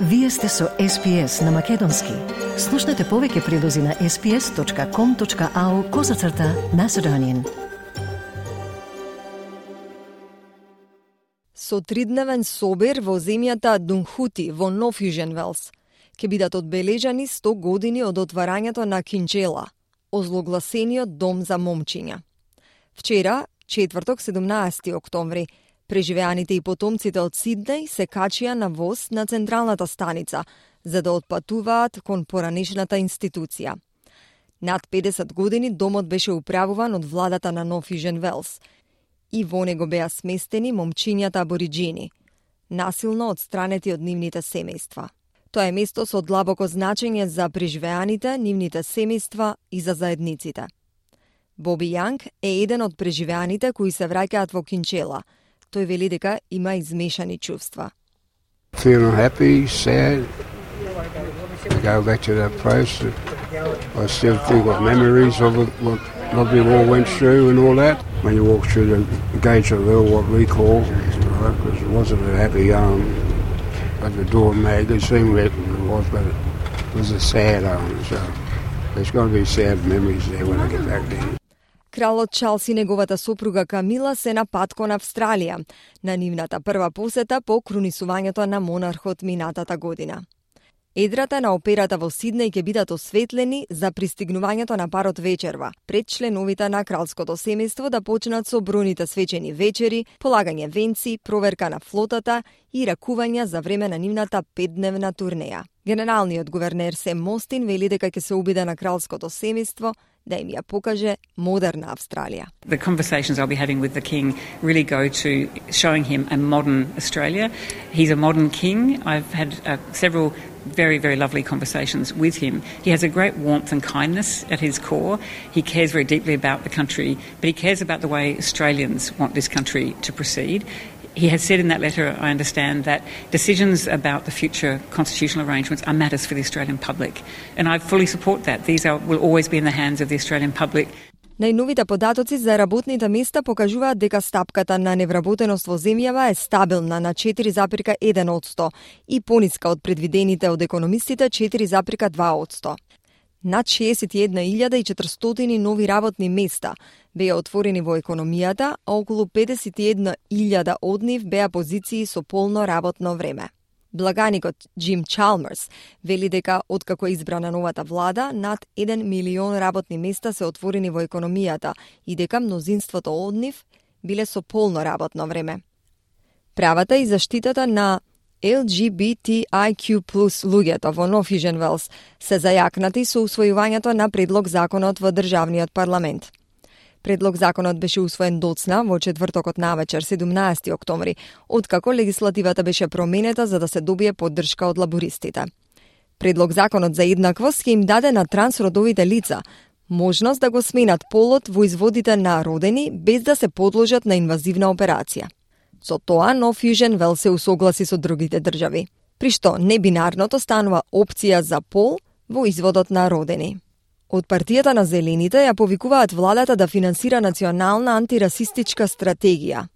Вие сте со SPS на Македонски. Слушнете повеќе прилози на sps.com.au/Macedonian. Со тридневен собир во земјата Дунхути во Нов Јужен Велс ќе бидат одбележани 100 години од отварањето на Кинджела, озлогласениот дом за момчиња. Вчера, четврток, 17 октомври, преживеаните и потомците од Сиднеј се качија на воз на централната станица за да отпатуваат кон поранешната институција. Над 50 години домот беше управуван од владата на Нов Јужен Велс и во него беа сместени момчињата абориџини, насилно одстранети од нивните семејства. Тоа е место со длабоко значење за преживеаните, нивните семејства и за заедниците. Боби Јанг е еден од преживеаните кои се враќаат во Кинджела. Тој вели дека има измешани чувства. Feeling happy, sad. Go back to that place. I still think of memories of what we all went through and all that. When you walk through the gates of hell, what we call, because it wasn't a happy home. At the door mag, it seemed it was, but it was a sad home. So there's going to be sad memories there when I get back there. Кралот Чарлс и неговата сопруга Камила се на пат кон Австралија, на нивната прва посета по крунисувањето на монархот минатата година. Едрата на операта во Сиднеј ќе бидат осветлени за пристигнувањето на парот вечерва, пред членовите на кралското семејство да почнат со бројните свечени вечери, полагање венци, проверка на флотата и ракувања за време на нивната 5-дневна турнеја. Генералниот гувернер Сем Мостин вели дека ќе се обиде на кралското семејство да им ја покаже модерна Австралија. The conversations I'll be having with the King really go to showing him a modern Australia. He's a modern king. I've had several very, very lovely conversations with him. He has a great warmth and kindness at his core. He cares very deeply about the country, but he cares about the way Australians want this country to proceed. He has said in that letter, I understand, that decisions about the future constitutional arrangements are matters for the Australian public. And I fully support that. These will always be in the hands of the Australian public. Најновите податоци за работните места покажуваат дека стапката на невработеност во земјава е стабилна на 4,1% и пониска од предвидените од економистите 4,2%. Над 61.400 нови работни места беа отворени во економијата, а околу 51.000 од нив беа позиции со полно работно време. Благаникот Джим Чалмерс вели дека откако е избрана новата влада, над 1 милион работни места се отворени во економијата и дека мнозинството од нив биле со полно работно време. Правата и заштитата на LGBTIQ+ луѓето во Нов Јужен Велс се зајакнати со усвојувањето на предлог законот во државниот парламент. Предлог законот беше усвоен доцна во четвртокот навечер, 17 октомври, откако легислативата беше променета за да се добие поддршка од лабористите. Предлог законот за еднаквост ќе им даде на трансродовите лица можност да го сменат полот во изводите на родени без да се подложат на инвазивна операција. Со тоа Нов Јужен Велс се усогласи со другите држави, при што небинарното станува опција за пол во изводот на родени. Од партијата на Зелените ја повикуваат владата да финансира национална антирасистичка стратегија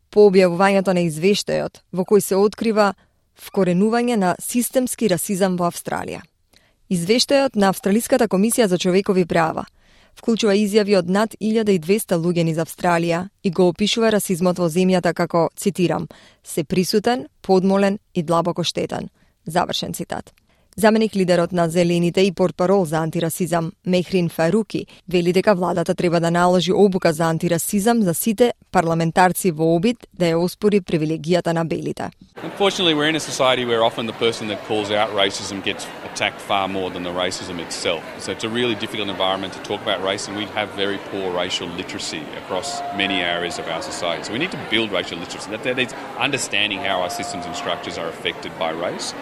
по објавувањето на извештајот во кој се открива вкоренување на системски расизам во Австралија. Извештајот на Австралиската комисија за човекови права вклучува изјави од над 1200 луѓе низ Австралија и го опишува расизмот во земјата како, цитирам, се присутен, подмолен и длабоко штетен. Завршен цитат. Заменик лидерот на Зелените и портпарол за антирасизам Мехрин Фаруки вели дека владата треба да наложи обука за антирасизам за сите парламентарци во обид да ја оспори привилегијата на белите. Unfortunately, we're in a society where often the person that calls out racism gets attacked far more than the racism itself. So it's a really difficult environment to talk about race, and we have very poor racial literacy across many areas of our society. So we need to build racial literacy. That is understanding how our systems and structures are affected by race,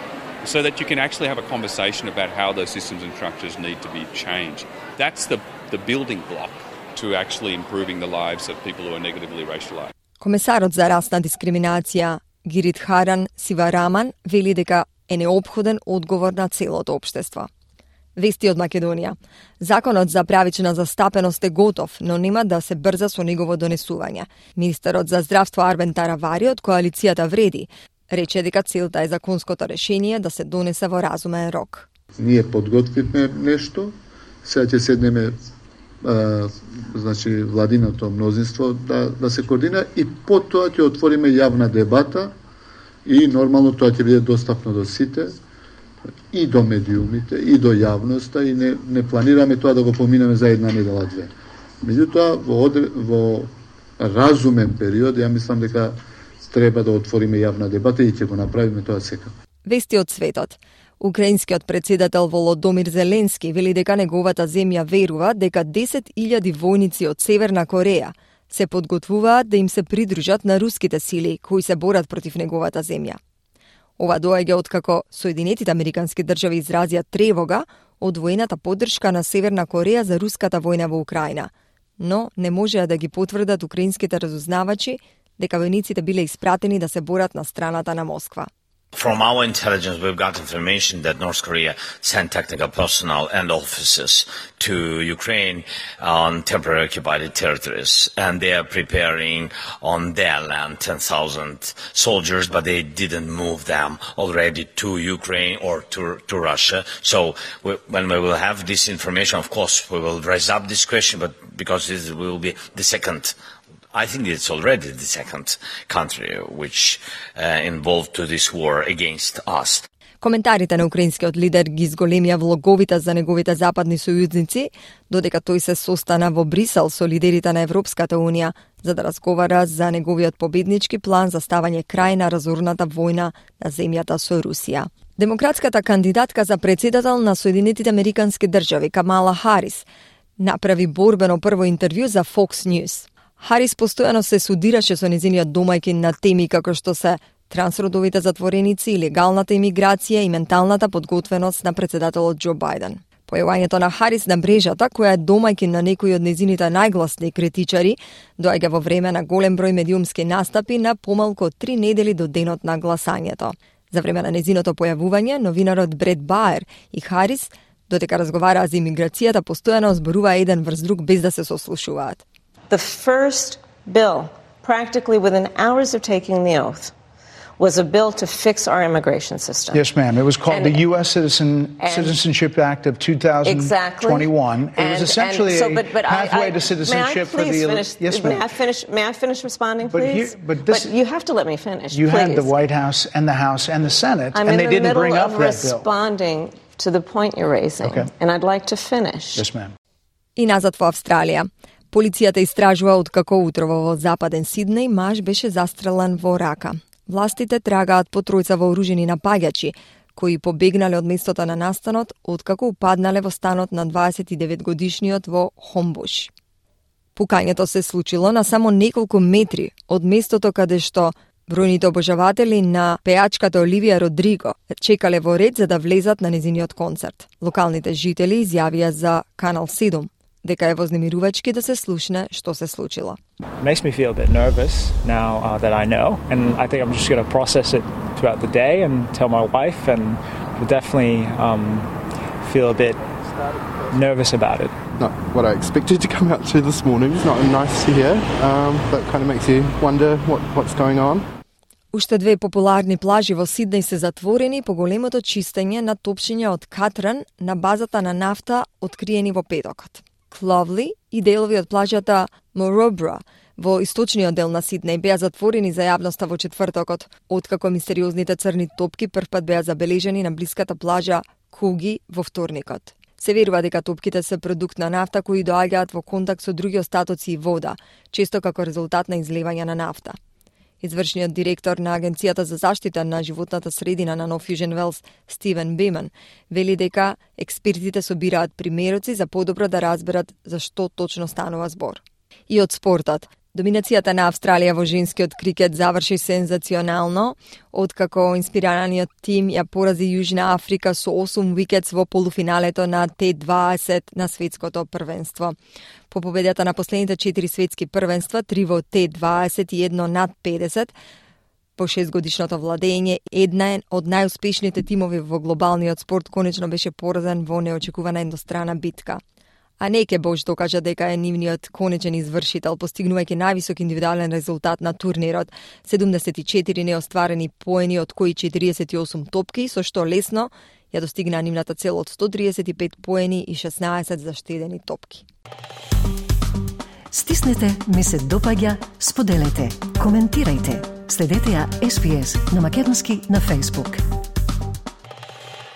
so that you can actually have a conversation about how those systems and structures need to be changed. That's the building block to actually improving the lives of people who are negatively racialized. Комесарот за расна дискриминација Гиридхаран Сивараман вели дека е неопходен одговор на целото општество. Вести од Македонија. Законот за правична застапеност е готов, но нема да се брза со негово донесување. Министерот за здравство Арбен Таравари од коалицијата Вреди Рече дека целта е законското решение да се донесе во разумен рок. Ние подготвивме нешто, сега ќе седнеме значи владиното мнозинство да се координира и потоа ќе отвориме јавна дебата и нормално тоа ќе биде достапно до сите и до медиумите и до јавноста и не планираме тоа да го поминеме за една недела две. Меѓутоа во разумен период ја мислам дека треба да отвориме јавна дебата и ќе го направиме тоа секако. Вести од светот. Украинскиот председател Володомир Зеленски вели дека неговата земја верува дека 10.000 војници од Северна Кореја се подготвуваат да им се придружат на руските сили кои се борат против неговата земја. Ова доаѓа откако Соединетите Американски држави изразија тревога од воената поддршка на Северна Кореја за руската војна во Украина, но не можеа да ги потврдат украинските разузнавачи дека војниците биле испратени да се борат на страната на Москва. From our intelligence, we've got information that North Korea sent technical personnel and officers to Ukraine on temporary occupied territories, and they are preparing on their land 10,000 soldiers, but they didn't move them already to Ukraine or to Russia. So when we will have this information, of course, we will raise up this question, but because this will be the second, I think it's already the second country which involved to this war against us. Коментарите на украинскиот лидер ги зголемија влоговите за неговите западни сојузници, додека тој се состана во Брисел со лидерите на Европската Унија за да разговара за неговиот победнички план за ставање крај на разорната војна на земјата со Русија. Демократската кандидатка за председател на Соединетите Американски држави Камала Харис направи борбено прво интервју за Fox News. Харис постојано се судираше со незиниот домајчин на теми како што се трансродовите затвореници, легалната имиграција и менталната подготвеност на председателот Џо Бајден. Појавањето на Харис на мрежата, која е домајчин на некои од незините најгласни критичари, доаѓа во време на голем број медиумски настапи на помалку од 3 недели до денот на гласањето. За време на незиното појавување, новинарот Бред Баер и Харис, додека разговараа за имиграцијата, постојано зборуваа еден врз друг без да се сослушуваат. The first bill, practically within hours of taking the oath, was a bill to fix our immigration system. Yes, ma'am. It was called the U.S. Citizenship Act of 2021. Exactly. It was essentially a pathway to citizenship for the... Yes, ma'am. May I finish responding, please? But you have to let me finish, you please. had the White House and the House and the Senate, and they didn't bring up that bill. I'm in the middle of responding to the point you're raising, and I'd like to finish. Yes, ma'am. И назад во Австралија. Полицијата истражува откако утрово во западен Сиднеј маж беше застрелан во рака. Властите трагаат по тројца вооружени напаѓачи, кои побегнале од местото на настанот откако упаднале во станот на 29-годишниот во Хомбуш. Пукањето се случило на само неколку метри од местото каде што бројните обожаватели на пеачката Оливија Родриго чекале во ред за да влезат на незиниот концерт. Локалните жители изјавија за Канал 7 дека е вознемирувачки да се слушне што се случило. It makes me feel a bit nervous now that I know, and I think I'm just going to process it throughout the day and tell my wife, and we'll definitely feel a bit nervous about it. Not what I expected to come out to this morning. It's not nice to hear, but kind of makes you wonder what's going on. Уште две популарни плажи во Сиднеј се затворени по големото чистење на топшиња од катран на базата на нафта откриени во петокот. Кловли и делови од плажата Моробра во источниот дел на Сиднеј беа затворени за јавноста во четвртокот, откако мистериозните црни топки првпат беа забележани на блиската плажа Куги во вторникот. Се верува дека топките се продукт на нафта кои доаѓаат во контакт со други остатоци и вода, често како резултат на излевање на нафта. Извршниот директор на Агенцијата за заштита на животната средина на Нов Јужен Велс, Стивен Беман, вели дека експертите собираат примероци за подобро да разберат за што точно станува збор. И од спортот. Доминацијата на Австралија во женскиот крикет заврши сензационално, откако инспираниот тим ја порази Јужна Африка со 8 викетс во полуфиналето на Т20 на светското првенство. По победата на последните 4 светски првенства, 3 во Т20 и 1 над 50, по 6-годишното владење, една од најуспешните тимови во глобалниот спорт конечно беше поразен во неочекувана еднострана битка. а Неке Бош докажа дека е нивниот конечен извршител, постигнувајќи највисок индивидуален резултат на турнирот. 74 неостварени поени, од кои 48 топки, со што лесно ја достигна нивната цел од 135 поени и 16 заштедени топки. Стиснете, ми се допаѓа, споделете, коментирајте. Следете ја SPS на Македонски на Facebook.